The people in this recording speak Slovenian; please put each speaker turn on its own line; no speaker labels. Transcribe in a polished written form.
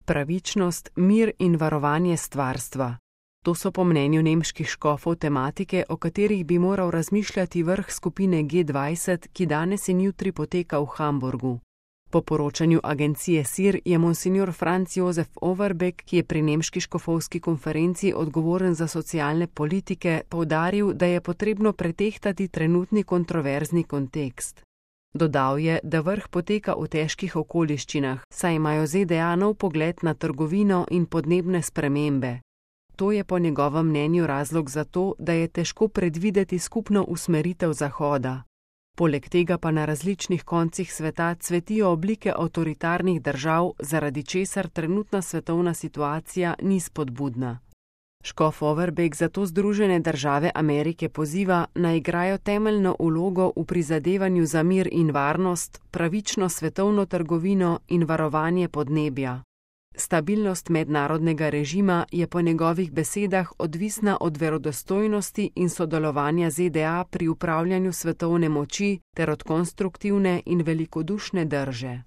pravičnost, mir in varovanje stvarstva. To so po mnenju nemških škofov tematike, o katerih bi moral razmišljati vrh skupine G20, ki danes in jutri poteka v Hamburgu. Po poročanju agencije SIR je monsignor Franz Josef Overbeck, ki je pri nemški škofovski konferenci odgovoren za socialne politike, poudaril, da je potrebno pretehtati trenutni kontroverzni kontekst. Dodal je, da vrh poteka v težkih okoliščinah, saj imajo ZDA nov pogled na trgovino in podnebne spremembe. To je po njegovem mnenju razlog za to, da je težko predvideti skupno usmeritev Zahoda. Poleg tega pa na različnih koncih sveta cvetijo oblike avtoritarnih držav, zaradi česar trenutna svetovna situacija ni spodbudna. Škof Overbeck zato Združene države Amerike poziva, naj igrajo temeljno vlogo v prizadevanju za mir in varnost, pravično svetovno trgovino in varovanje podnebja. Stabilnost mednarodnega režima je po njegovih besedah odvisna od verodostojnosti in sodelovanja ZDA pri upravljanju svetovne moči ter od konstruktivne in velikodušne drže.